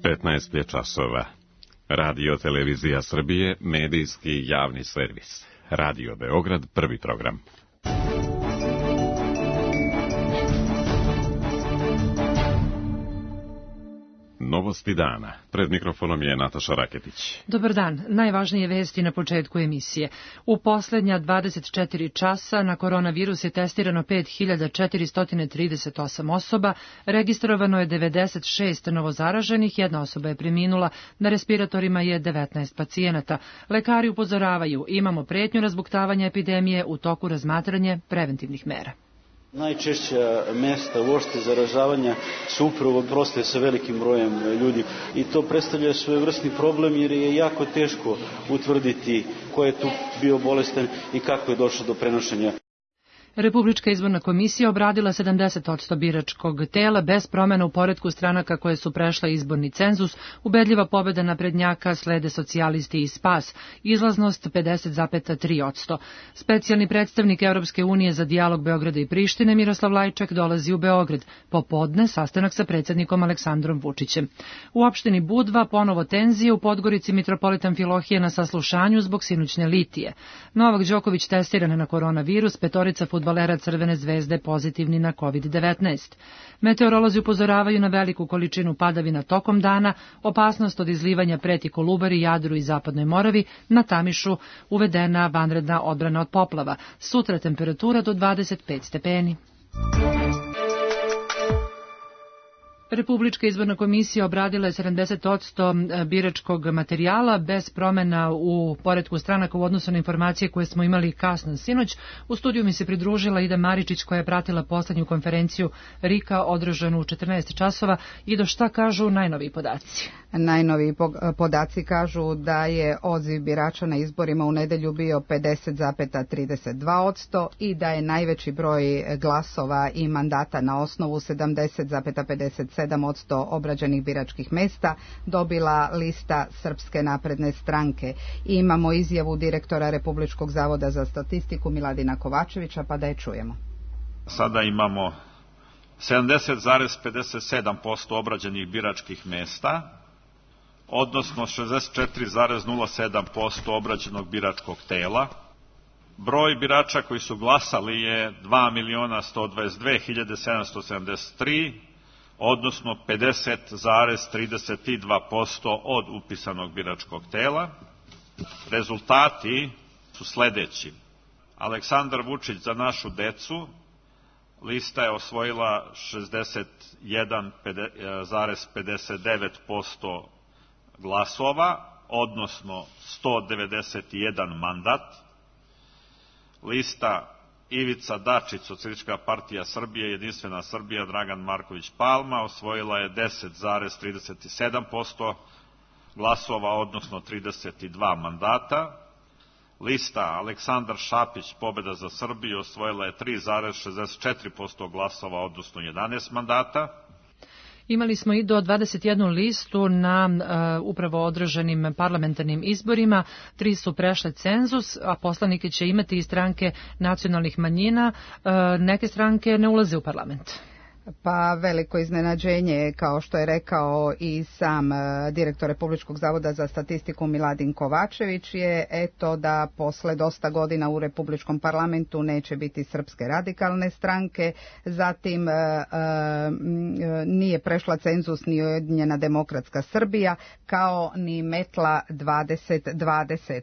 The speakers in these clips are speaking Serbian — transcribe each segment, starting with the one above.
15 je časova. Radio Televizija Srbije, medijski javni servis. Radio Beograd, prvi program. Novosti dana. Pred mikrofonom je Nataša Raketić. Dobar dan. Najvažnije vesti na početku emisije. U poslednja 24 časa na koronavirus je testirano 5438 osoba, registrovano je 96 novozaraženih, jedna osoba je preminula, na respiratorima je 19 pacijenata. Lekari upozoravaju, imamo pretnju razbuktavanja epidemije, u toku razmatranje preventivnih mera. Najčešća mesta uopšte zaražavanja su upravo prostorije sa velikim brojem ljudi i to predstavlja svojevrsni problem jer je jako teško utvrditi ko je tu bio bolestan i kako je došlo do prenošenja. Republička izborna komisija obradila 70% biračkog tela bez promena u poretku stranaka koje su prešle izborni cenzus, ubedljiva pobeda naprednjaka, slede socijalisti i Spas, izlaznost 50,3%. Specijalni predstavnik Evropske unije za dijalog Beograda i Prištine Miroslav Lajčak dolazi u Beograd. Popodne sastanak sa predsjednikom Aleksandrom Vučićem. U opštini Budva ponovo tenzije, u Podgorici mitropolitan Filohije na saslušanju zbog sinućne litije. Novak Đoković testiran na koronavirus, petorica fudbalera Crvene zvezde pozitivni na COVID-19. Meteorolozi upozoravaju na veliku količinu padavina tokom dana, opasnost od izlivanja preti Kolubari, Jadru i Zapadnoj Moravi, na Tamišu uvedena vanredna odbrana od poplava. Sutra temperatura do 25 stepeni. Republička izborna komisija obradila je 70% biračkog materijala bez promena u poretku stranaka u odnosu na informacije koje smo imali kasno sinoć. U studiju mi se pridružila Ida Maričić koja je pratila poslednju konferenciju RIK-a održanu u 14 časova. Ido, šta kažu najnoviji podaci? Najnoviji podaci kažu da je odziv birača na izborima u nedelju bio 50,32% i da je najveći broj glasova i mandata na osnovu 70,57% obrađenih biračkih mesta dobila lista Srpske napredne stranke. Imamo izjavu direktora Republičkog zavoda za statistiku Miladina Kovačevića, pa da je čujemo. Sada imamo 70,57% obrađenih biračkih mesta, odnosno 64,07% obrađenog biračkog tela. Broj birača koji su glasali je 2.122.773, odnosno 50,32% od upisanog biračkog tela. Rezultati su sledeći. Aleksandar Vučić za našu decu, lista je osvojila 61,59% glasova, odnosno 191 mandat. Lista Ivica Dačić, Socijalistička partija Srbije, Jedinstvena Srbija, Dragan Marković Palma, osvojila je 10,37% glasova, odnosno 32 mandata. Lista Aleksandar Šapić, Pobeda za Srbiju, osvojila je 3,64% glasova, odnosno 11 mandata. Imali smo i do 21 listu na upravo održanim parlamentarnim izborima. 3 su prešle cenzus, a poslanike će imati i stranke nacionalnih manjina. Neke stranke ne ulaze u parlament. Pa veliko iznenađenje, kao što je rekao i sam direktor Republičkog zavoda za statistiku Miladin Kovačević, je da posle dosta godina u Republičkom parlamentu neće biti Srpske radikalne stranke, zatim nije prešla cenzus ni Ujedinjena demokratska Srbija, kao ni Metla 2020.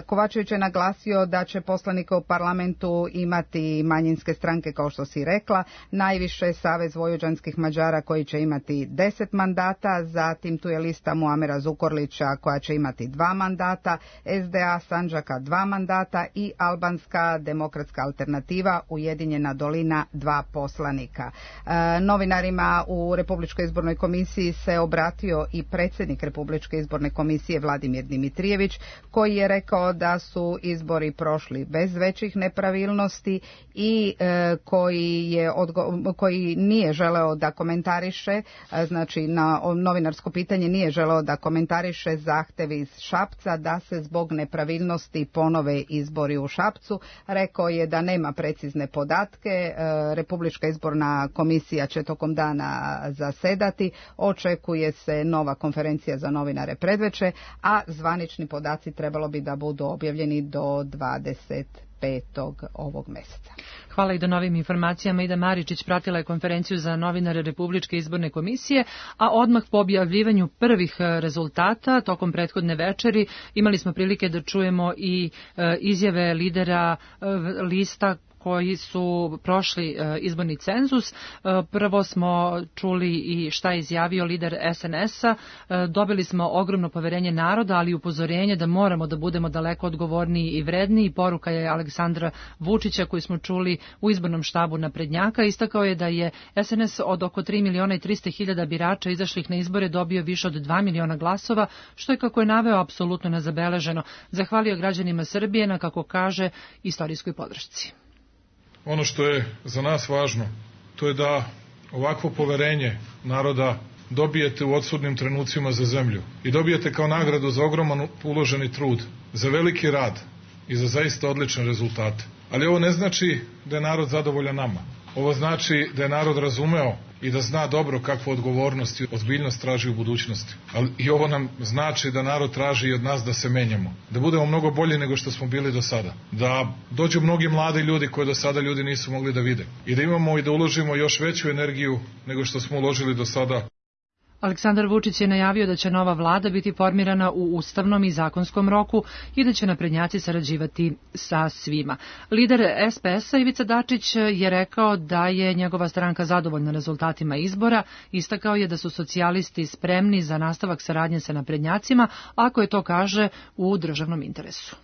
Kovačević je naglasio da će poslanike u parlamentu imati manjinske stranke, kao što si rekla, najviše Savez vojvođanskih Mađara koji će imati 10 mandata, zatim tu je lista Muamera Zukorlića koja će imati 2 mandata, SDA Sandžaka 2 mandata i Albanska demokratska alternativa Ujedinjena dolina 2 poslanika. Novinarima u Republičkoj izbornoj komisiji se obratio i predsjednik Republičke izborne komisije Vladimir Dimitrijević, koji je rekao da su izbori prošli bez većih nepravilnosti i koji nije želeo da komentariše, znači na novinarsko pitanje nije želeo da komentariše zahtev iz Šapca da se zbog nepravilnosti ponove izbori u Šapcu. Rekao je da nema precizne podatke, Republička izborna komisija će tokom dana zasedati, očekuje se nova konferencija za novinare predveče, a zvanični podaci trebalo bi da budu objavljeni do 25. ovog meseca. Hvala i do novim informacijama. Ida Maričić pratila je konferenciju za novinare Republičke izborne komisije, a odmah po objavljivanju prvih rezultata tokom prethodne večeri imali smo prilike da čujemo i izjave lidera lista koji su prošli izborni cenzus. Prvo smo čuli i šta je izjavio lider SNS-a. Dobili smo ogromno poverenje naroda, ali i upozorenje da moramo da budemo daleko odgovorniji i vredniji. Poruka je Aleksandra Vučića koju smo čuli u izbornom štabu naprednjaka. Istakao je da je SNS od oko 3.300.000 birača izašlih na izbore dobio više od 2 miliona glasova, što je, kako je naveo, apsolutno nezabeleženo. Zahvalio građanima Srbije na, kako kaže, istorijskoj podršci. Ono što je za nas važno, to je da ovakvo poverenje naroda dobijete u odsudnim trenucima za zemlju i dobijete kao nagradu za ogroman uloženi trud, za veliki rad i za zaista odlične rezultate. Ali ovo ne znači da je narod zadovoljan nama. Ovo znači da je narod razumeo i da zna dobro kakvu odgovornost i ozbiljnost traži u budućnosti. Ali i ovo nam znači da narod traži i od nas da se menjamo, da budemo mnogo bolji nego što smo bili do sada, da dođu mnogi mladi ljudi koje do sada ljudi nisu mogli da vide i da imamo i da uložimo još veću energiju nego što smo uložili do sada. Aleksandar Vučić je najavio da će nova vlada biti formirana u ustavnom i zakonskom roku i da će naprednjaci sarađivati sa svima. Lider SPS-a Ivica Dačić je rekao da je njegova stranka zadovoljna rezultatima izbora. Istakao je da su socijalisti spremni za nastavak saradnje sa naprednjacima, ako je to, kaže, u državnom interesu.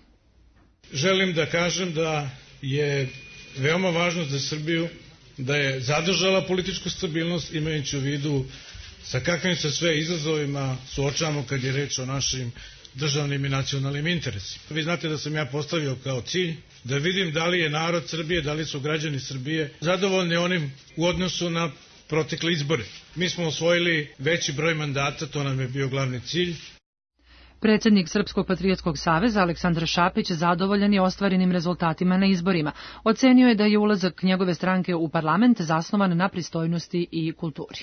Želim da kažem da je veoma važno za Srbiju da je zadržala političku stabilnost, imajući u vidu sa kakvim se sve izazovima suočavamo kad je reč o našim državnim i nacionalnim interesima. Vi znate da sam ja postavio kao cilj da vidim da li je narod Srbije, da li su građani Srbije zadovoljni onim u odnosu na protekle izbore. Mi smo osvojili veći broj mandata, to nam je bio glavni cilj. Predsjednik Srpskog patriotskog saveza Aleksandar Šapić zadovoljan je ostvarenim rezultatima na izborima. Ocenio je da je ulazak njegove stranke u parlament zasnovan na pristojnosti i kulturi.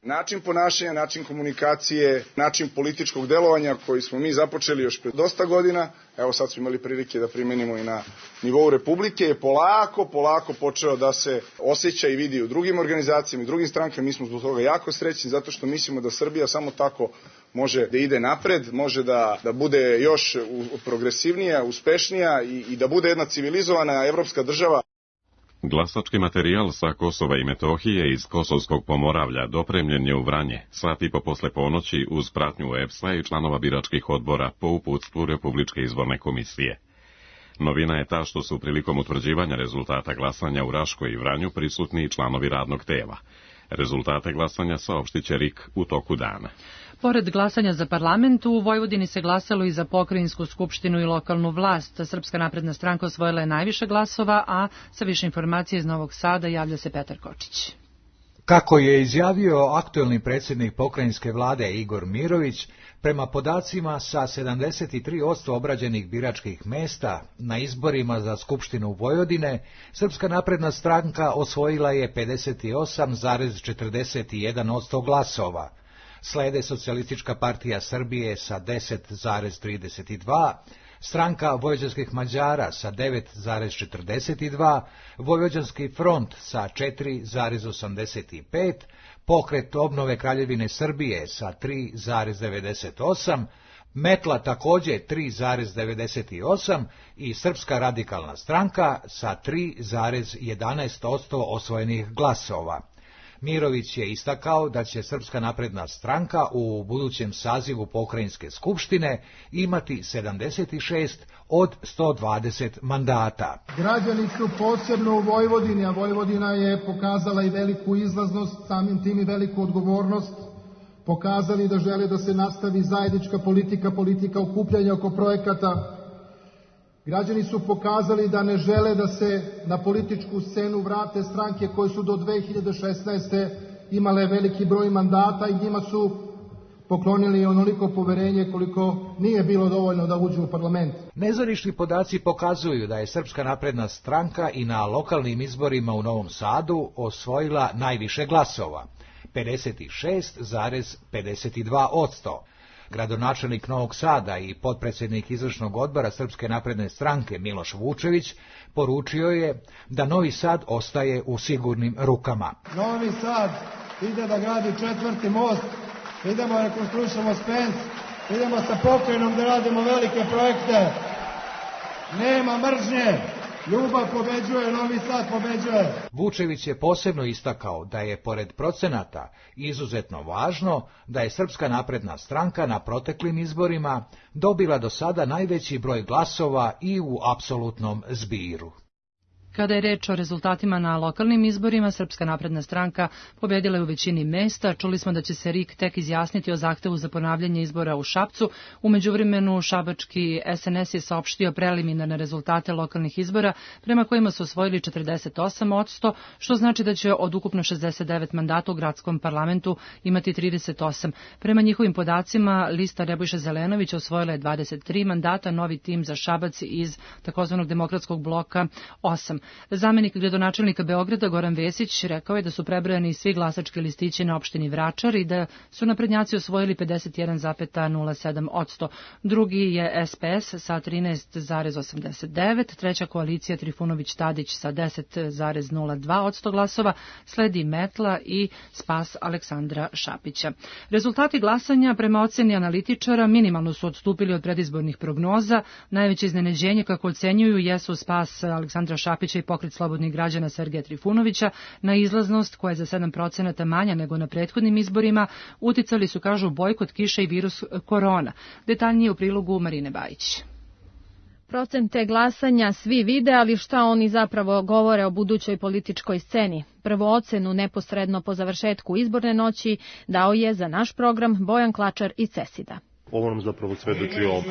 Način ponašanja, način komunikacije, način političkog delovanja koji smo mi započeli još pred dosta godina, evo sad smo imali prilike da primenimo i na nivou Republike, je polako počeo da se osjeća i vidi u drugim organizacijama i drugim strankama. Mi smo zbog toga jako srećni zato što mislimo da Srbija samo tako može da ide napred, može da bude još progresivnija, uspešnija i da bude jedna civilizovana evropska država. Glasački materijal sa Kosova i Metohije iz Kosovskog Pomoravlja dopremljen je u Vranje, sat i po posle ponoći uz pratnju EPS-a i članova biračkih odbora po uputstvu Republičke izborne komisije. Novina je ta što su prilikom utvrđivanja rezultata glasanja u Raškoj i Vranju prisutni i članovi radnog tela. Rezultate glasanja saopštit će RIK u toku dana. Pored glasanja za parlament, u Vojvodini se glasalo i za pokrajinsku skupštinu i lokalnu vlast. Srpska napredna stranka osvojila je najviše glasova, a sa više informacije iz Novog Sada javlja se Petar Kočić. Kako je izjavio aktuelni predsjednik pokrajinske vlade Igor Mirović, prema podacima sa 73% obrađenih biračkih mesta na izborima za Skupštinu Vojvodine, Srpska napredna stranka osvojila je 58,41% glasova. Slede Socijalistička partija Srbije sa 10,32%, Stranka vojvođanskih Mađara sa 9,42%, Vojvođanski front sa 4,85%, Pokret obnove Kraljevine Srbije sa 3,98%, Metla također 3,98% i Srpska radikalna stranka sa 3,11% osvojenih glasova. Mirović je istakao da će Srpska napredna stranka u budućem sazivu pokrajinske skupštine imati 76 od 120 mandata. Građani su posebno u Vojvodini, a Vojvodina je pokazala i veliku izlaznost, samim tim i veliku odgovornost, pokazali da žele da se nastavi zajednička politika okupljanja oko projekata Građani su pokazali da ne žele da se na političku scenu vrate stranke koje su do 2016. imale veliki broj mandata i njima su poklonili onoliko poverenje koliko nije bilo dovoljno da uđu u parlament. Nezvanični podaci pokazuju da je Srpska napredna stranka i na lokalnim izborima u Novom Sadu osvojila najviše glasova, 56,52%. Gradonačelnik Novog Sada i potpredsjednik izvršnog odbora Srpske napredne stranke Miloš Vučević poručio je da Novi Sad ostaje u sigurnim rukama. Novi Sad ide da gradi 4. most, idemo da rekonstruišemo Spens, idemo sa pokrajinom da radimo velike projekte. Nema mržnje, ljubav pobeđuje, Novi Sad pobeđuje. Vučević je posebno istakao da je, pored procenata, izuzetno važno da je Srpska napredna stranka na proteklim izborima dobila do sada najveći broj glasova i u apsolutnom zbiru. Kada je reč o rezultatima na lokalnim izborima, Srpska napredna stranka pobedila je u većini mesta. Čuli smo da će se RIK tek izjasniti o zahtevu za ponavljanje izbora u Šapcu. U međuvremenu šabački SNS je saopštio preliminarne rezultate lokalnih izbora, prema kojima su osvojili 48%, što znači da će od ukupno 69 mandata u gradskom parlamentu imati 38. Prema njihovim podacima, lista Nebojša Zelenović osvojila je 23 mandata, novi tim za Šabac iz takozvanog demokratskog bloka 8. Zamenik gradonačelnika Beograda Goran Vesić rekao je da su prebrojani svi glasački listići na opštini Vračar i da su naprednjaci osvojili 51,07%. Drugi je SPS sa 13,89%, treća koalicija Trifunović-Tadić sa 10,02% glasova, sledi Metla i Spas Aleksandra Šapića. Rezultati glasanja prema oceni analitičara minimalno su odstupili od predizbornih prognoza. Najveće iznenađenje, kako ocenjuju, jesu Spas Aleksandra Šapića i Pokret slobodnih građana Sergeja Trifunovića. Na izlaznost, koja je za 7% manja nego na prethodnim izborima, uticali su, kažu, bojkot kiše i virus korona. Detaljnije u prilogu Marine Bajić. Procente glasanja svi vide, ali šta oni zapravo govore o budućoj političkoj sceni? Prvo ocenu neposredno po završetku izborne noći dao je za naš program Bojan Klačar iz Cesida. Ovo nam zapravo svedoči o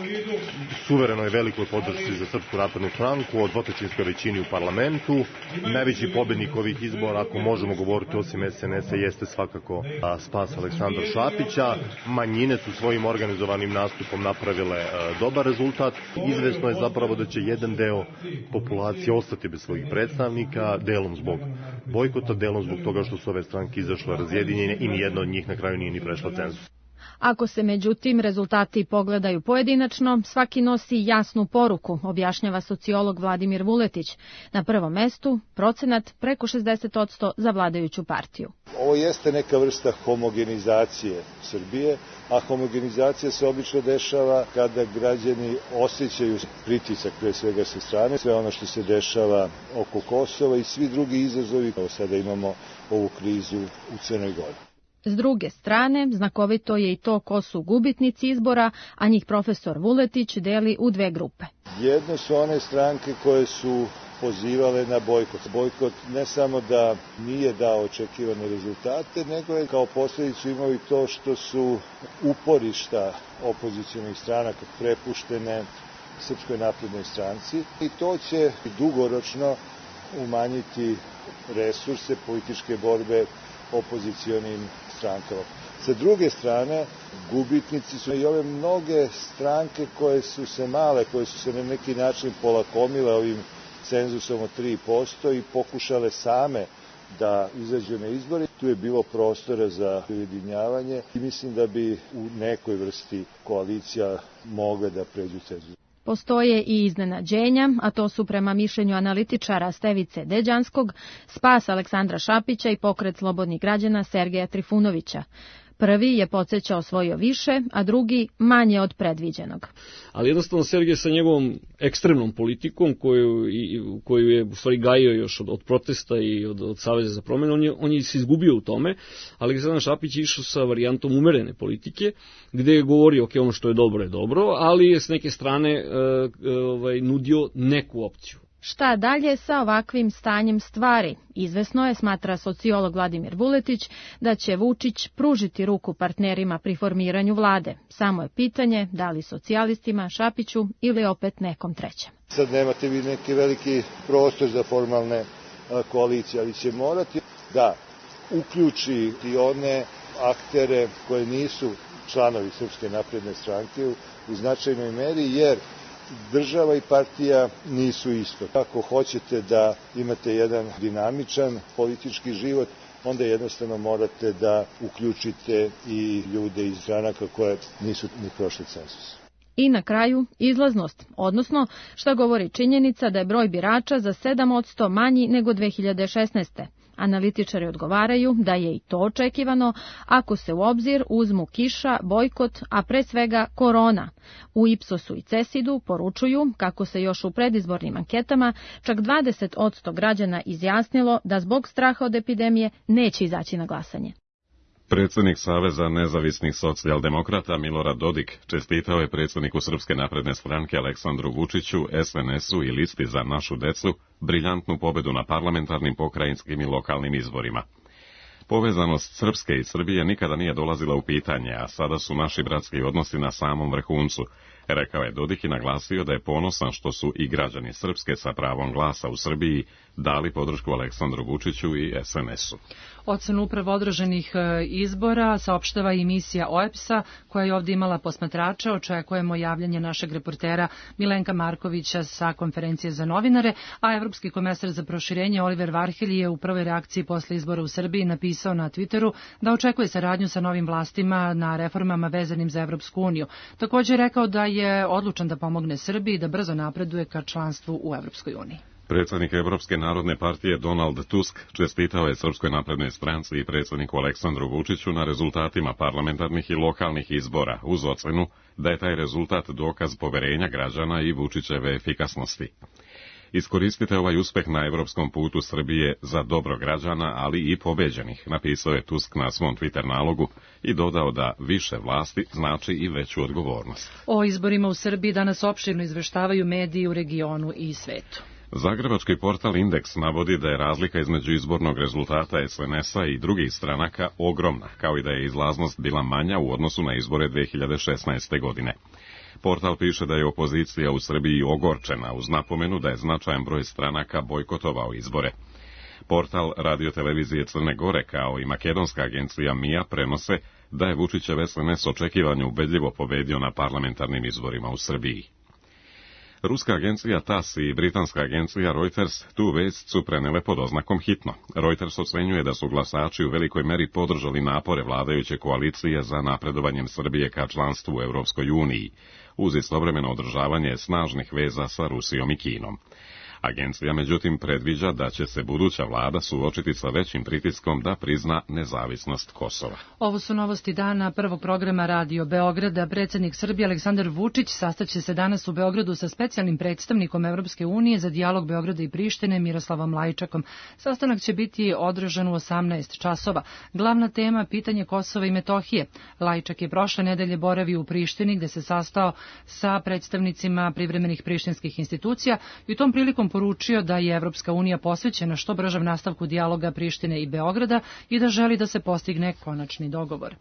suverenoj velikoj podršci za Srpsku naprednu stranku, o dvotrećinskoj većini u parlamentu. Najveći pobednik ovih izbora, ako možemo govoriti osim SNS-a, jeste svakako Spas Aleksandra Šapića. Manjine su svojim organizovanim nastupom napravile dobar rezultat. Izvesno je zapravo da će jedan deo populacije ostati bez svojih predstavnika, delom zbog bojkota, delom zbog toga što su ove stranke izašle razjedinjene i nijedna od njih na kraju nije ni prešla cenzus. Ako se međutim rezultati pogledaju pojedinačno, svaki nosi jasnu poruku, objašnjava sociolog Vladimir Vuletić. Na prvom mestu procenat preko 60% za vladajuću partiju. Ovo jeste neka vrsta homogenizacije Srbije, a homogenizacija se obično dešava kada građani osjećaju pritisak pre svega sa strane, sve ono što se dešava oko Kosova i svi drugi izazovi. Sada imamo ovu krizu u Crnoj Gori. S druge strane, znakovito je i to ko su gubitnici izbora, a njih profesor Vuletić deli u dve grupe. Jedno su one stranke koje su pozivale na bojkot. Bojkot ne samo da nije dao očekivane rezultate, nego je kao posljedicu imao i to što su uporišta opozicionih stranaka prepuštene Srpskoj naprednoj stranci i to će dugoročno umanjiti resurse političke borbe opozicionim strankama. Sa druge strane, gubitnici su i ove mnoge stranke koje su se na neki način polakomile ovim cenzusom od 3% i pokušale same da izađu na izbore. Tu je bilo prostora za ujedinjavanje i mislim da bi u nekoj vrsti koalicija mogla da pređu cenzus. Postoje i iznenađenja, a to su prema mišljenju analitičara Stevice Deđanskog, Spas Aleksandra Šapića i Pokret slobodnih građana Sergeja Trifunovića. Prvi je podsjećao osvojio više, a drugi manje od predviđenog. Ali jednostavno Sergej sa njegovom ekstremnom politikom, koju je u stvari gajio još od protesta i od Saveza za promjenu, on je se izgubio u tome. Aleksandar Šapić je išao sa varijantom umerene politike, gde je govorio ono što je dobro, ali je s neke strane nudio neku opciju. Šta dalje sa ovakvim stanjem stvari? Izvesno je, smatra sociolog Vladimir Vuletić, da će Vučić pružiti ruku partnerima pri formiranju vlade. Samo je pitanje da li socijalistima, Šapiću ili opet nekom trećem. Sad nemate vi neki veliki prostor za formalne koalicije, ali će morati da uključi i one aktere koje nisu članovi Srpske napredne stranke u značajnoj meri, jer država i partija nisu isto. Ako hoćete da imate jedan dinamičan politički život, onda jednostavno morate da uključite i ljude iz stranaka koje nisu ni prošli cenzus. I na kraju izlaznost, odnosno šta govori činjenica da je broj birača za 7% manji nego 2016. Analitičari odgovaraju da je i to očekivano ako se u obzir uzmu kiša, bojkot, a pre svega korona. U Ipsosu i Cesidu poručuju kako se još u predizbornim anketama čak 20% građana izjasnilo da zbog straha od epidemije neće izaći na glasanje. Predsjednik Saveza nezavisnih socijaldemokrata Milorad Dodik čestitao je predsjedniku Srpske napredne stranke Aleksandru Vučiću, SNS-u i listi Za našu decu briljantnu pobedu na parlamentarnim, pokrajinskim i lokalnim izborima. Povezanost Srpske i Srbije nikada nije dolazila u pitanje, a sada su naši bratski odnosi na samom vrhuncu, rekao je Dodik i naglasio da je ponosan što su i građani Srpske sa pravom glasa u Srbiji dali podršku Aleksandru Vučiću i SNS-u. Ocenu upravo odraženih izbora saopštava i misija OEBS-a, koja je ovdje imala posmatrača. Očekujemo javljanje našeg reportera Milenka Markovića sa konferencije za novinare, a Evropski komesar za proširenje Oliver Varhelji je u prvoj reakciji posle izbora u Srbiji napisao na Twitteru da očekuje saradnju sa novim vlastima na reformama vezanim za Evropsku uniju. Također je rekao da je odlučan da pomogne Srbiji da brzo napreduje ka članstvu u Evropskoj uniji. Predsjednik Evropske narodne partije Donald Tusk čestitao je Srpskoj naprednoj stranci i predsjedniku Aleksandru Vučiću na rezultatima parlamentarnih i lokalnih izbora, uz ocenu da je taj rezultat dokaz poverenja građana i Vučićeve efikasnosti. Iskoristite ovaj uspeh na evropskom putu Srbije za dobro građana, ali i pobeđenih, napisao je Tusk na svom Twitter nalogu i dodao da više vlasti znači i veću odgovornost. O izborima u Srbiji danas opširno izveštavaju mediji u regionu i svetu. Zagrebački portal Indeks navodi da je razlika između izbornog rezultata SNS-a i drugih stranaka ogromna, kao i da je izlaznost bila manja u odnosu na izbore 2016. godine. Portal piše da je opozicija u Srbiji ogorčena uz napomenu da je značajan broj stranaka bojkotovao izbore. Portal radiotelevizije Crne Gore kao i makedonska agencija MIA prenose da je Vučićev SNS očekivanje ubedljivo pobedio na parlamentarnim izborima u Srbiji. Ruska agencija TASS i britanska agencija Reuters tu vest su prenele pod oznakom hitno. Reuters ocenjuje da su glasači u velikoj meri podržali napore vladajuće koalicije za napredovanjem Srbije ka članstvu u Europskoj uniji, uz istovremeno održavanje snažnih veza sa Rusijom i Kinom. Agencija međutim predviđa da će se buduća vlada suočiti sa većim pritiskom da prizna nezavisnost Kosova. Ovo su novosti dana prvog programa Radio Beograda. Predsjednik Srbije Aleksandar Vučić sastaće se danas u Beogradu sa specijalnim predstavnikom Evropske unije za dijalog Beograda i Prištine Miroslavom Lajčakom. Sastanak će biti održan u 18 časova. Glavna tema pitanje Kosova i Metohije. Lajčak je prošle nedelje boravio u Prištini gde se sastao sa predstavnicima privremenih prištinskih institucija i u tom prilikom poručio da je Evropska unija posvećena što bržem nastavku dijaloga Prištine i Beograda i da želi da se postigne konačni dogovor.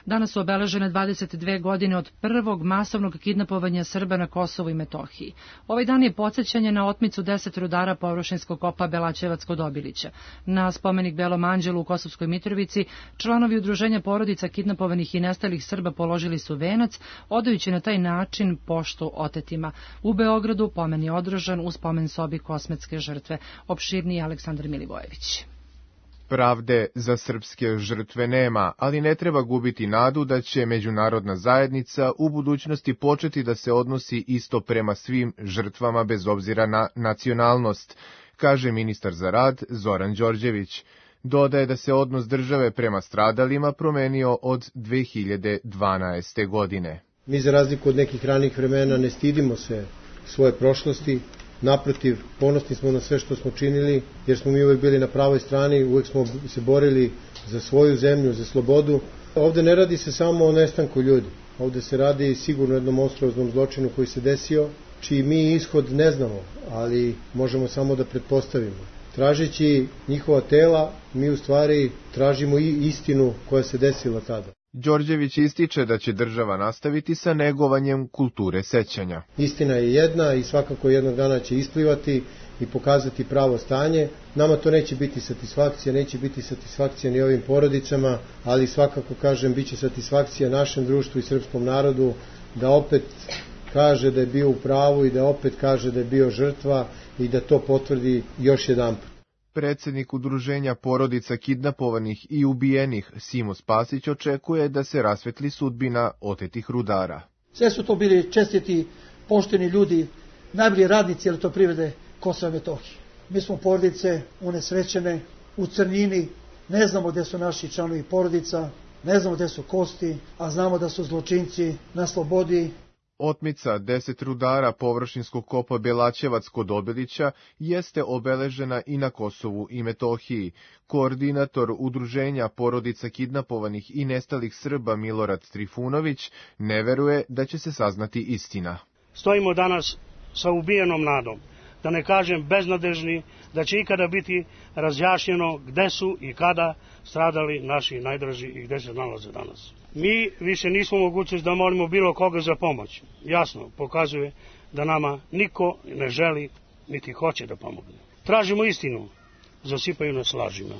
Danas su obeležene 22 godine od prvog masovnog kidnapovanja Srba na Kosovu i Metohiji. Ovaj dan je podsjećanje na otmicu 10 rudara površinskog kopa Belaćevac kod Obilića. Na spomenik Belom anđelu u Kosovskoj Mitrovici članovi udruženja porodica kidnapovanih i nestalih Srba položili su venac, odajući na taj način poštu otetima. U Beogradu pomen je održan u spomen sobi kosmetske žrtve. Opširniji Aleksandar Milivojević. Pravde za srpske žrtve nema, ali ne treba gubiti nadu da će međunarodna zajednica u budućnosti početi da se odnosi isto prema svim žrtvama bez obzira na nacionalnost, kaže ministar za rad Zoran Đorđević. Dodaje da se odnos države prema stradalima promenio od 2012. godine. Mi za razliku od nekih ranih vremena ne stidimo se svoje prošlosti. Naprotiv, ponosni smo na sve što smo činili, jer smo mi uvek bili na pravoj strani, uvek smo se borili za svoju zemlju, za slobodu. Ovde ne radi se samo o nestanku ljudi, ovde se radi sigurno jednom monstruoznom zločinu koji se desio čiji mi ishod ne znamo, ali možemo samo da pretpostavimo. Tražeći njihova tela, mi u stvari tražimo i istinu koja se desila tada. Đorđević ističe da će država nastaviti sa negovanjem kulture sećanja. Istina je jedna i svakako jednog dana će isplivati i pokazati pravo stanje. Nama to neće biti satisfakcija ni ovim porodicama, ali svakako, kažem, bit će satisfakcija našem društvu i srpskom narodu da opet kaže da je bio u pravu i da opet kaže da je bio žrtva i da to potvrdi još jedanput. Predsednik Udruženja porodica kidnapovanih i ubijenih Simo Spasić očekuje da se rasvetli sudbina otetih rudara. Sve su to bili čestiti, pošteni ljudi, najbolji radnici elektroprivrede Kosova i Metohije. Mi smo porodice unesrećene, u crnini, ne znamo gde su naši članovi porodica, ne znamo gde su kosti, a znamo da su zločinci na slobodi. Otmica 10 rudara površinskog kopa Belaćevac kod Obilića jeste obeležena i na Kosovu i Metohiji. Koordinator Udruženja porodica kidnapovanih i nestalih Srba Milorad Trifunović ne veruje da će se saznati istina. Stojimo danas sa ubijenom nadom, da ne kažem beznadežni, da će ikada biti razjašnjeno gde su i kada stradali naši najdraži i gde se nalaze danas. Mi više nismo mogućnosti da molimo bilo koga za pomoć. Jasno pokazuje da nama niko ne želi niti hoće da pomogne. Tražimo istinu, zasipaju nas lažima.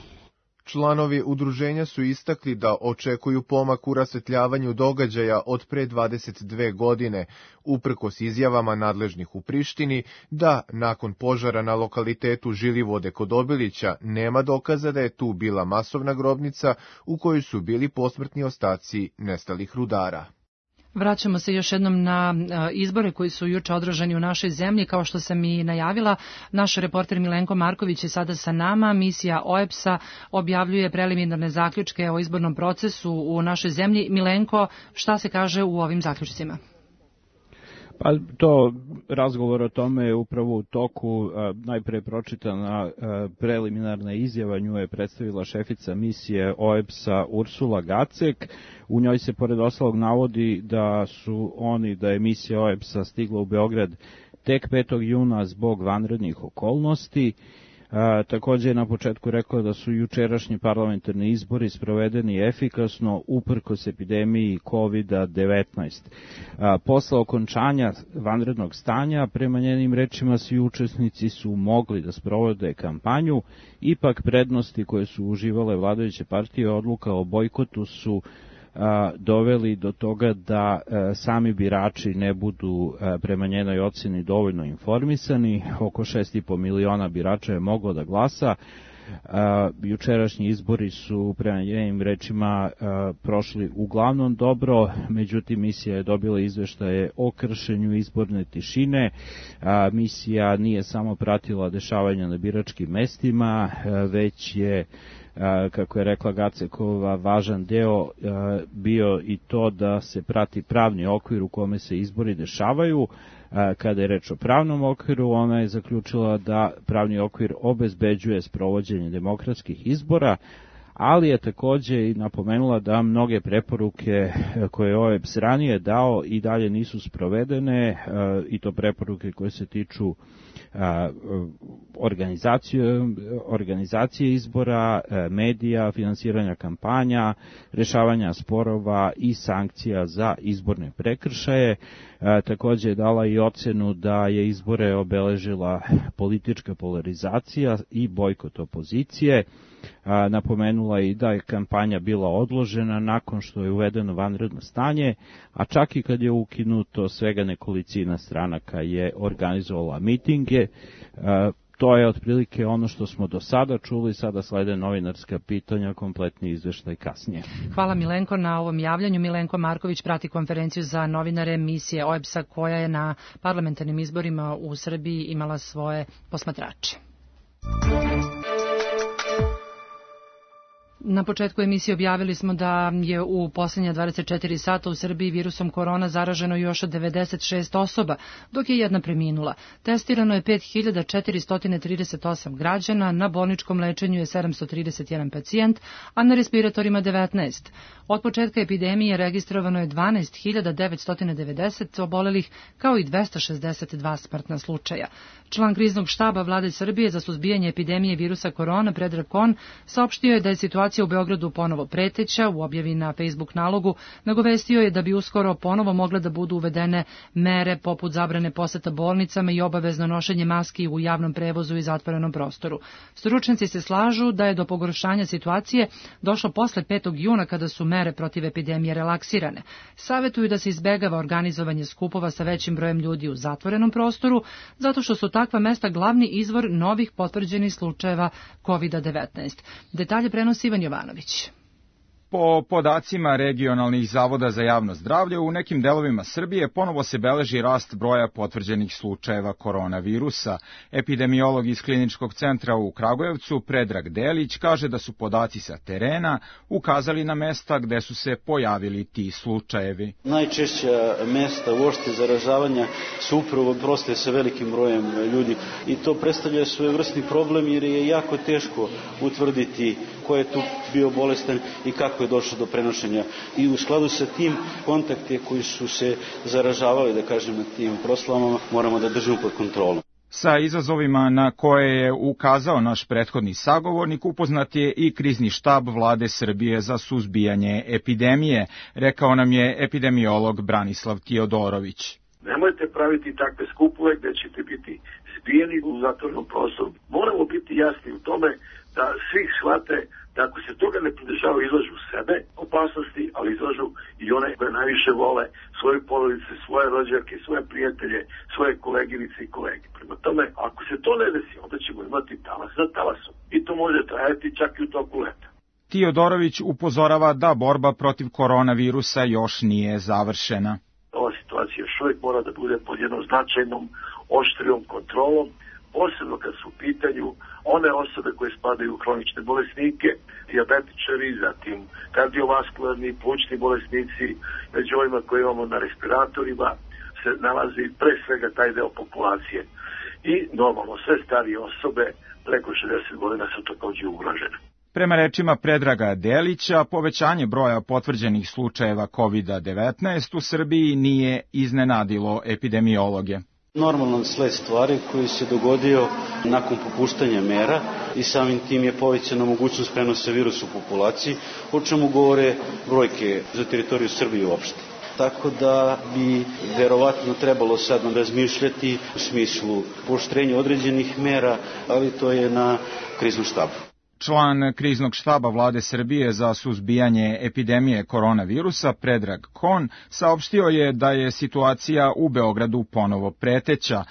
Članovi udruženja su istakli da očekuju pomak u rasvetljavanju događaja od pre 22 godine, uprkos izjavama nadležnih u Prištini, da nakon požara na lokalitetu Žilivode kod Obilića nema dokaza da je tu bila masovna grobnica u kojoj su bili posmrtni ostaci nestalih rudara. Vraćamo se još jednom na izbore koji su juče održani u našoj zemlji. Kao što sam i najavila, naš reporter Milenko Marković je sada sa nama. Misija OEBS-a objavljuje preliminarne zaključke o izbornom procesu u našoj zemlji. Milenko, šta se kaže u ovim zaključcima? Pa to razgovor o tome je upravo u toku. Najpre pročitana preliminarna izjava, nju je predstavila šefica misije OEBS-a Ursula Gacek. U njoj se pored ostalog navodi da je misija OEBS-a stigla u Beograd tek 5. juna zbog vanrednih okolnosti. Također je na početku rekao da su jučerašnji parlamentarni izbori sprovedeni efikasno uprkos epidemiji COVID-19. Posle okončanja vanrednog stanja, prema njenim rečima, svi učesnici su mogli da sprovode kampanju, ipak prednosti koje su uživale vladajuće partije odluka o bojkotu su doveli do toga da sami birači ne budu prema njenoj oceni dovoljno informisani. Oko 6,5 miliona birača je moglo da glasa. Jučerašnji izbori su prema njenim rečima prošli uglavnom dobro, međutim misija je dobila izveštaje o kršenju izborne tišine. Misija nije samo pratila dešavanja na biračkim mestima, već je, kako je rekla Gacekova, važan deo bio i to da se prati pravni okvir u kome se izbori dešavaju. Kada je reč o pravnom okviru, ona je zaključila da pravni okvir obezbeđuje sprovođenje demokratskih izbora, ali je također i napomenula da mnoge preporuke koje je OEBS ranije dao i dalje nisu sprovedene, i to preporuke koje se tiču organizacije izbora, medija, finansiranja kampanja, rešavanja sporova i sankcija za izborne prekršaje. Također je dala i ocenu da je izbore obeležila politička polarizacija i bojkot opozicije. Napomenula i da je kampanja bila odložena nakon što je uvedeno vanredno stanje, a čak i kad je ukinuto, svega nekolicina stranaka je organizovala mitinge. To je otprilike ono što smo do sada čuli, sada slede novinarska pitanja, kompletni izveštaj kasnije. Hvala Milenko na ovom javljanju. Milenko Marković prati konferenciju za novinare misije OEBS-a koja je na parlamentarnim izborima u Srbiji imala svoje posmatrače. Na početku emisije objavili smo da je u posljednja 24 sata u Srbiji virusom korona zaraženo još 96 osoba, dok je jedna preminula. Testirano je 5438 građana, na bolničkom lečenju je 731 pacijent, a na respiratorima 19. Od početka epidemije registrovano je 12.990 obolelih, kao i 262 smrtna slučaja. Član kriznog štaba Vlade Srbije za suzbijanje epidemije virusa korona, Predrag Kon, saopštio je da je situacija u Beogradu ponovo preteća. U objavi na Facebook nalogu nagovestio je da bi uskoro ponovo mogle da budu uvedene mere poput zabrane poseta bolnicama i obavezno nošenje maski u javnom prevozu i zatvorenom prostoru. Stručnjaci se slažu da je do pogoršanja situacije došlo posle 5. juna kada su mere protiv epidemije relaksirane. Savetuju da se izbegava organizovanje skupova sa većim brojem ljudi u zatvorenom prostoru, zato što su takva mesta glavni izvor novih potvrđenih slučajeva COVID-19. Detalje prenosi Ivan Jovanović. Po podacima regionalnih zavoda za javno zdravlje, u nekim delovima Srbije ponovo se beleži rast broja potvrđenih slučajeva koronavirusa. Epidemiolog iz Kliničkog centra u Kragujevcu, Predrag Delić, kaže da su podaci sa terena ukazali na mesta gde su se pojavili ti slučajevi. Najčešća mesta uopšte zaražavanja su upravo proste sa velikim brojem ljudi i to predstavlja svojevrsni problem jer je jako teško utvrditi ko je tu bio bolestan i kako je došlo do prenošenja. I u skladu sa tim kontakte koji su se zaražavali, da kažem, na tim proslavama, moramo da držimo pod kontrolom. Sa izazovima na koje je ukazao naš prethodni sagovornik upoznat je i krizni štab Vlade Srbije za suzbijanje epidemije, rekao nam je epidemiolog Branislav Tiodorović. Nemojte praviti takve skupove gde ćete biti zbijeni u zatvornom prostoru. Moramo biti jasni u tome da svi shvate da ako se toga ne pridržavaju, izlažu sebe opasnosti, ali izlažu i one koje najviše vole, svoje porodice, svoje rođake, svoje prijatelje, svoje koleginice i kolege. Prema tome, ako se to ne desi, onda ćemo imati talas za talasom. I to može trajati čak i u toku leta. Tiodorović upozorava da borba protiv koronavirusa još nije završena. Ova situacija još uvijek mora da bude pod jednom značajnom, oštrijom kontrolom, posebno kad su u pitanju one osobe koje spadaju u hronične bolesnike, dijabetičari, zatim kardiovaskularni, plućni bolesnici, među ovima koje imamo na respiratorima se nalazi pre svega taj deo populacije. I normalno sve starije osobe preko 60 godina su takođe ugrožene. Prema rečima Predraga Delića, povećanje broja potvrđenih slučajeva COVID-19 u Srbiji nije iznenadilo epidemiologe. Normalan sled stvari koji se dogodio nakon popuštanja mera i samim tim je povećana mogućnost prenosa virusa u populaciji, o čemu govore brojke za teritoriju Srbije uopšte. Tako da bi verovatno trebalo sad razmišljati u smislu pooštrenja određenih mera, ali to je na kriznom štabu. Član kriznog štaba Vlade Srbije za suzbijanje epidemije koronavirusa, Predrag Kon, saopštio je da je situacija u Beogradu ponovo preteća.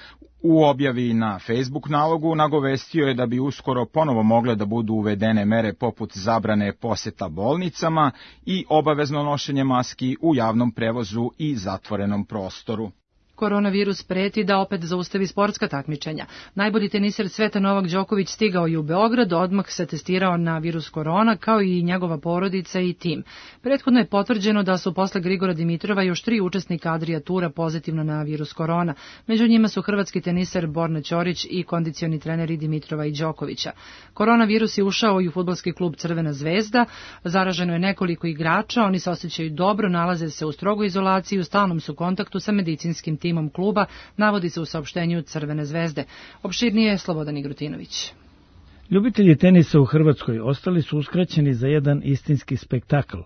U objavi na Facebook nalogu nagovestio je da bi uskoro ponovo mogle da budu uvedene mere poput zabrane poseta bolnicama i obavezno nošenje maski u javnom prevozu i zatvorenom prostoru. Koronavirus preti da opet zaustavi sportska takmičenja. Najbolji teniser sveta Novak Đoković stigao je u Beograd, odmah se testirao na virus korona, kao i njegova porodica i tim. Prethodno je potvrđeno da su posle Grigora Dimitrova još 3 učesnika Adria Tura pozitivno na virus korona. Među njima su hrvatski teniser Borna Ćorić i kondicioni treneri Dimitrova i Đokovića. Koronavirus je ušao i u fudbalski klub Crvena zvezda. Zaraženo je nekoliko igrača, oni se osjećaju dobro, nalaze se u strogoj izolaciji i u stalnom su kontaktu sa medicinskim timom kluba, navodi se u saopštenju Crvene zvezde. Opširnije Slobodan Igrutinović. Ljubitelji tenisa u Hrvatskoj ostali su uskraćeni za jedan istinski spektakl.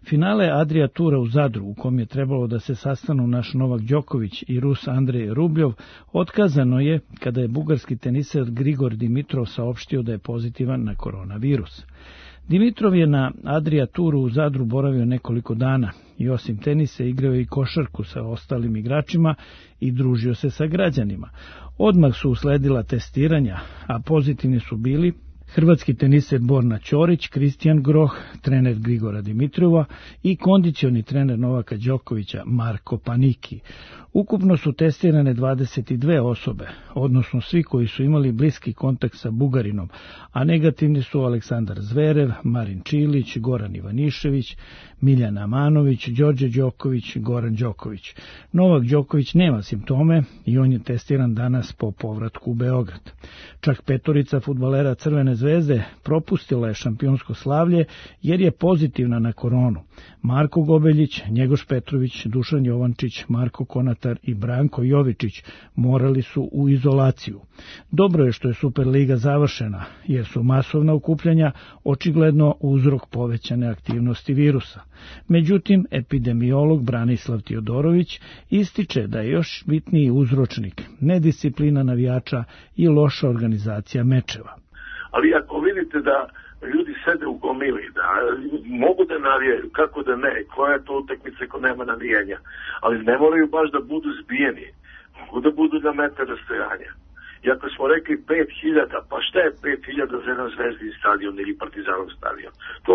Finale Adria Tura u Zadru, u kom je trebalo da se sastanu naš Novak Đoković i Rus Andrej Rubljov, otkazano je kada je bugarski teniser Grigor Dimitrov saopštio da je pozitivan na koronavirus. Dimitrov je na Adria Turu u Zadru boravio nekoliko dana i osim tenisa igrao i košarku sa ostalim igračima i družio se sa građanima. Odmah su usledila testiranja, a pozitivni su bili hrvatski teniser Borna Ćorić, Kristijan Groh, trener Grigora Dimitrova i kondicioni trener Novaka Đokovića Marko Paniki. Ukupno su testirane 22 osobe, odnosno svi koji su imali bliski kontakt sa Bugarinom, a negativni su Aleksandar Zverev, Marin Čilić, Goran Ivanišević, Miljan Amanović, Đorđe Đoković, Goran Đoković. Novak Đoković nema simptome i on je testiran danas po povratku u Beograd. Čak petorica fudbalera Crvene zvezde propustila je šampionsko slavlje jer je pozitivna na koronu. Marko Gobeljić, Njegoš Petrović, Dušan Jovančić, Marko Konatar i Branko Jovičić morali su u izolaciju. Dobro je što je Superliga završena, jer su masovna okupljanja očigledno uzrok povećane aktivnosti virusa. Međutim, epidemiolog Branislav Tiodorović ističe da je još bitniji uzročnik nedisciplina navijača i loša organizacija mečeva. Ali ako vidite da ljudi sede u gomili, da mogu da navijaju, kako da ne, koja je to utakmica ko nema navijenja, ali ne moraju baš da budu zbijeni, mogu da budu na metar rastojanja. I ako smo rekli 5.000, pa šta je 5.000 za jedan Zvezdin stadion ili Partizanov stadion? To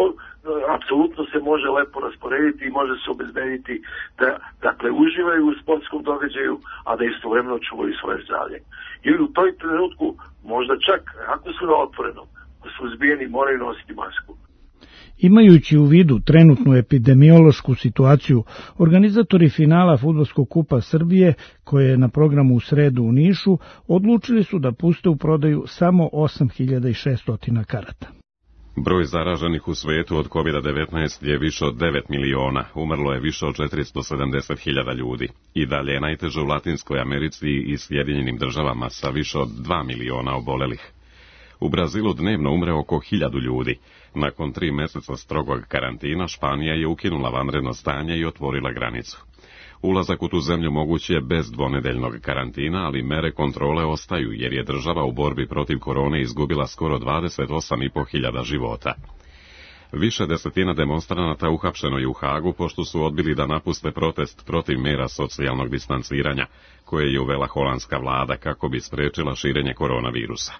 apsolutno se može lepo rasporediti i može se obezbediti da, dakle, uživaju u sportskom događaju, a da istovremeno čuvaju svoje zdravlje. Ili u toj trenutku, možda čak, ako su na otvorenom, ako su zbijeni, moraju nositi masku. Imajući u vidu trenutnu epidemiološku situaciju, organizatori finala Fudbalskog kupa Srbije, koje je na programu u sredu u Nišu, odlučili su da puste u prodaju samo 8.600 karata. Broj zaraženih u svetu od COVID-19 je više od 9 miliona, umrlo je više od 470.000 ljudi. I dalje je najteže u Latinskoj Americi i Sjedinjenim državama sa više od 2 miliona obolelih. U Brazilu dnevno umre oko 1.000 ljudi. Nakon 3 meseca strogog karantina, Španija je ukinula vanredno stanje i otvorila granicu. Ulazak u tu zemlju moguć je bez dvonedeljnog karantina, ali mere kontrole ostaju, jer je država u borbi protiv korone izgubila skoro 28.500 života. Više desetina demonstranata uhapšeno je u Hagu, pošto su odbili da napuste protest protiv mera socijalnog distanciranja, koje je uvela holandska vlada kako bi sprečila širenje koronavirusa.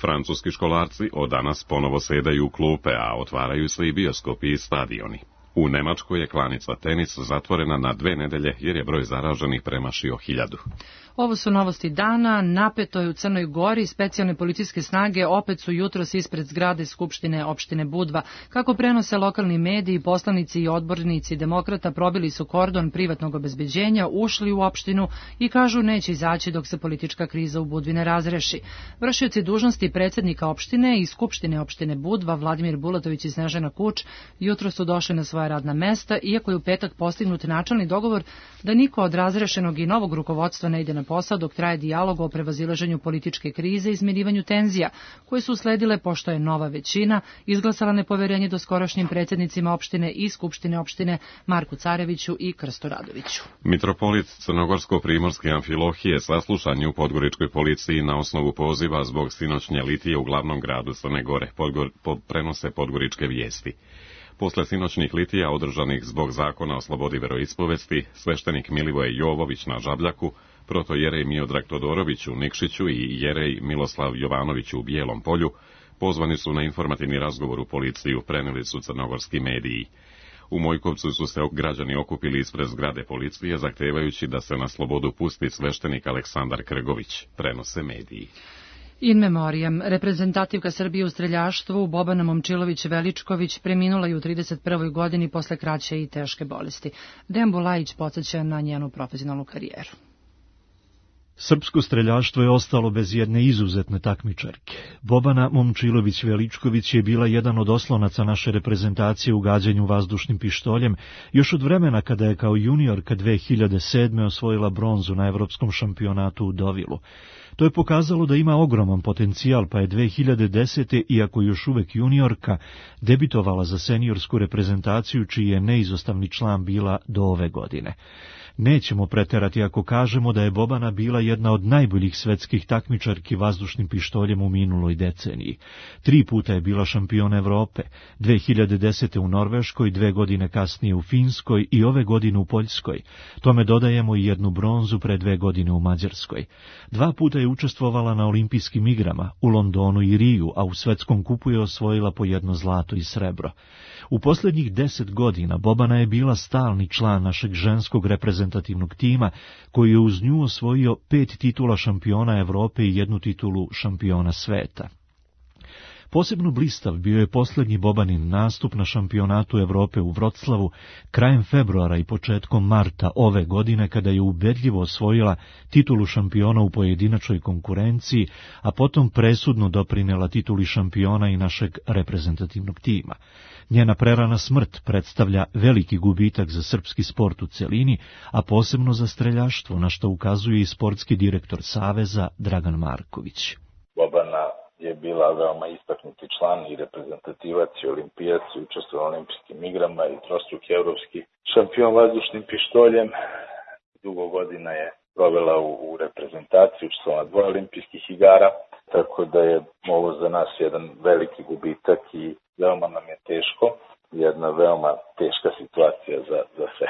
Francuski školarci od danas ponovo sedaju u klupe, a otvaraju se i bioskopi i stadioni. U Nemačkoj je klanica tenis zatvorena na 2 nedelje jer je broj zaraženih premašio 1.000. Ovo su novosti dana. Napeto je u Crnoj Gori. Specijalne policijske snage opet su jutros ispred zgrade Skupštine opštine Budva. Kako prenose lokalni mediji, poslanici i odbornici demokrata probili su kordon privatnog obezbeđenja, ušli u opštinu i kažu neće izaći dok se politička kriza u Budvi ne razreši. Vršioci dužnosti predsjednika opštine i Skupštine opštine Budva, Vladimir Bulatović i Snežana Kuč, jutros su došli na svoja radna mesta, iako je u petak postignut načelni dogovor da niko od razrešenog i novog rukovodstva ne ide na posao dok traje dijalog o prevazilaženju političke krize i izmirivanju tenzija, koje su usledile pošto je nova većina izglasala nepoverenje doskorašnjim predsjednicima opštine i Skupštine opštine Marku Careviću i Krstu Radoviću. Mitropolit Crnogorsko-primorske Amfilohije saslušan je u podgoričkoj policiji na osnovu poziva zbog sinoćnje litije u glavnom gradu Crne Gore, prenose podgoričke vijesti. Posle sinoćnih litija održanih zbog zakona o slobodi veroispovesti, sveštenik Milivoje Jovović na Žabljaku, protojerej Miodrag Todorović u Nikšiću i jerej Miloslav Jovanović u Bijelom Polju pozvani su na informativni razgovor u policiju, preneli su crnogorski mediji. U Mojkovcu su se građani okupili ispred zgrade policije, zahtevajući da se na slobodu pusti sveštenik Aleksandar Krgović, prenose mediji. In memoriam, reprezentativka Srbije u streljaštvu Bobana Momčilović-Veličković preminula je u 31. godini posle kraće i teške bolesti. Dejan Bulajić podsjeća na njenu profesionalnu karijeru. Srpsko streljaštvo je ostalo bez jedne izuzetne takmičarke. Bobana Momčilović-Veličković je bila jedan od oslonaca naše reprezentacije u gađanju vazdušnim pištoljem još od vremena kada je kao juniorka 2007. osvojila bronzu na evropskom šampionatu u Dovilu. To je pokazalo da ima ogroman potencijal, pa je 2010. iako još uvek juniorka, debitovala za seniorsku reprezentaciju, čiji je neizostavni član bila do ove godine. Nećemo preterati ako kažemo da je Bobana bila jedna od najboljih svetskih takmičarki vazdušnim pištoljem u minuloj deceniji. 3 puta je bila šampion Evrope, 2010. u Norveškoj, 2 godine kasnije u Finskoj i ove godine u Poljskoj. Tome dodajemo i jednu bronzu pre 2 godine u Mađarskoj. 2 puta je učestvovala na olimpijskim igrama u Londonu i Riju, a u svetskom kupu je osvojila po 1 zlato i srebro. U posljednjih 10 godina Bobana je bila stalni član našeg ženskog reprezentativnog tima, koji je uz nju osvojio 5 titula šampiona Evrope i 1 titulu šampiona sveta. Posebno blistav bio je posljednji Bobanin nastup na šampionatu Evrope u Vroclavu krajem februara i početkom marta ove godine, kada je ubedljivo osvojila titulu šampiona u pojedinačnoj konkurenciji, a potom presudno doprinela tituli šampiona i našeg reprezentativnog tima. Njena prerana smrt predstavlja veliki gubitak za srpski sport u celini, a posebno za streljaštvo, na što ukazuje i sportski direktor Saveza Dragan Marković. Bobana je bila veoma istaknuti član i reprezentativac i olimpijac, učestvovao na olimpijskim igrama i trostruki evropski šampion vazdušnim pištoljem. Dugo godina je provela u reprezentaciji, učestvovala na 2 olimpijskih igara, tako da je ovo za nas jedan veliki gubitak i veoma nam je teško, jedna veoma teška situacija za sve.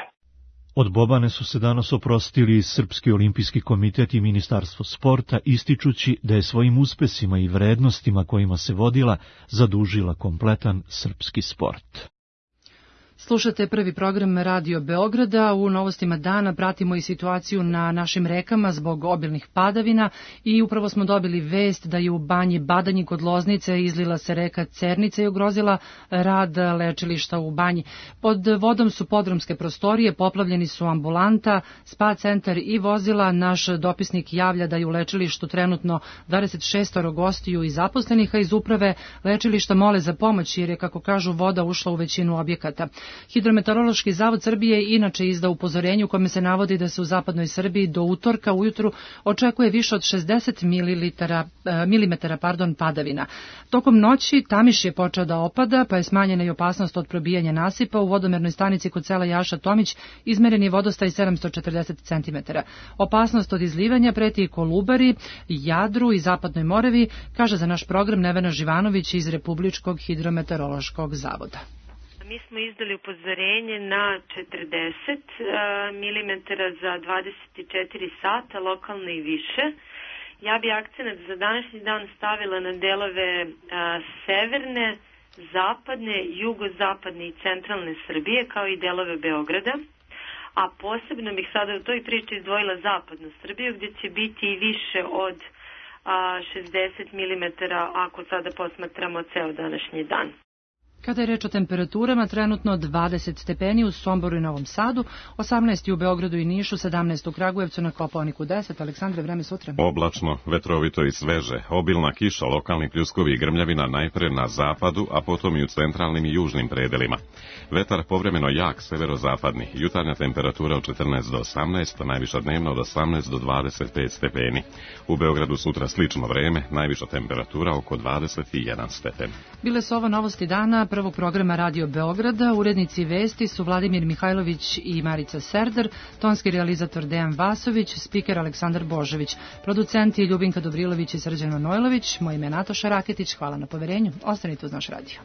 Od Bobane su se danas oprostili Srpski olimpijski komitet i Ministarstvo sporta, ističući da je svojim uspesima i vrednostima kojima se vodila zadužila kompletan srpski sport. Slušate prvi program Radio Beograda. U novostima dana pratimo i situaciju na našim rekama zbog obilnih padavina i upravo smo dobili vest da je u Banji Badanji kod Loznice izlila se reka Cernica i ugrozila rad lečilišta u Banji. Pod vodom su podrumske prostorije, poplavljeni su ambulanta, spa centar i vozila. Naš dopisnik javlja da je u lečilištu trenutno 26 gostiju i zaposlenih, a iz uprave lečilišta mole za pomoć jer je, kako kažu, voda ušla u većinu objekata. Hidrometeorološki zavod Srbije inače izda upozorenje u kome se navodi da se u zapadnoj Srbiji do utorka ujutru očekuje više od 60 milimetara padavina. Tokom noći Tamiš je počeo da opada, pa je smanjena i opasnost od probijanja nasipa. U vodomernoj stanici kod sela Jaša Tomić izmeren je vodostaj 740 cm. Opasnost od izlivanja preti i Kolubari, Jadru i Zapadnoj Moravi, kaže za naš program Nevena Živanović iz Republičkog hidrometeorološkog zavoda. Mi smo izdali upozorenje na 40 mm za 24 sata, lokalno i više. Ja bi akcenat za današnji dan stavila na delove severne, zapadne, jugozapadne i centralne Srbije, kao i delove Beograda. A posebno bih sada u toj priči izdvojila zapadnu Srbiju, gdje će biti i više od 60 mm ako sada posmatramo ceo današnji dan. Kada je reč o temperaturama, trenutno 20 stepeni u Somboru i Novom Sadu, 18 u Beogradu i Nišu, 17 u Kragujevcu, na Kopaoniku 10. Aleksandre, vreme sutra. Oblačno, vetrovito i sveže, obilna kiša, lokalni pljuskovi i grmljavina najpre na zapadu, a potom i u centralnim i južnim predelima. Vetar povremeno jak, severozapadni, jutarnja temperatura od 14 do 18, najviša dnevna od 18 do 25 stepeni. U Beogradu sutra slično vreme, najviša temperatura oko 21 stepen. Bile su ovo novosti dana prvog programa Radio Beograda. Urednici vesti su Vladimir Mihajlović i Marica Serdar, tonski realizator Dejan Vasović, spiker Aleksandar Božović, producenti Ljubinka Dobrilović i Srđan Manojlović. Moje ime je Nataša Raketić, hvala na poverenju. Ostanite uz naš radio.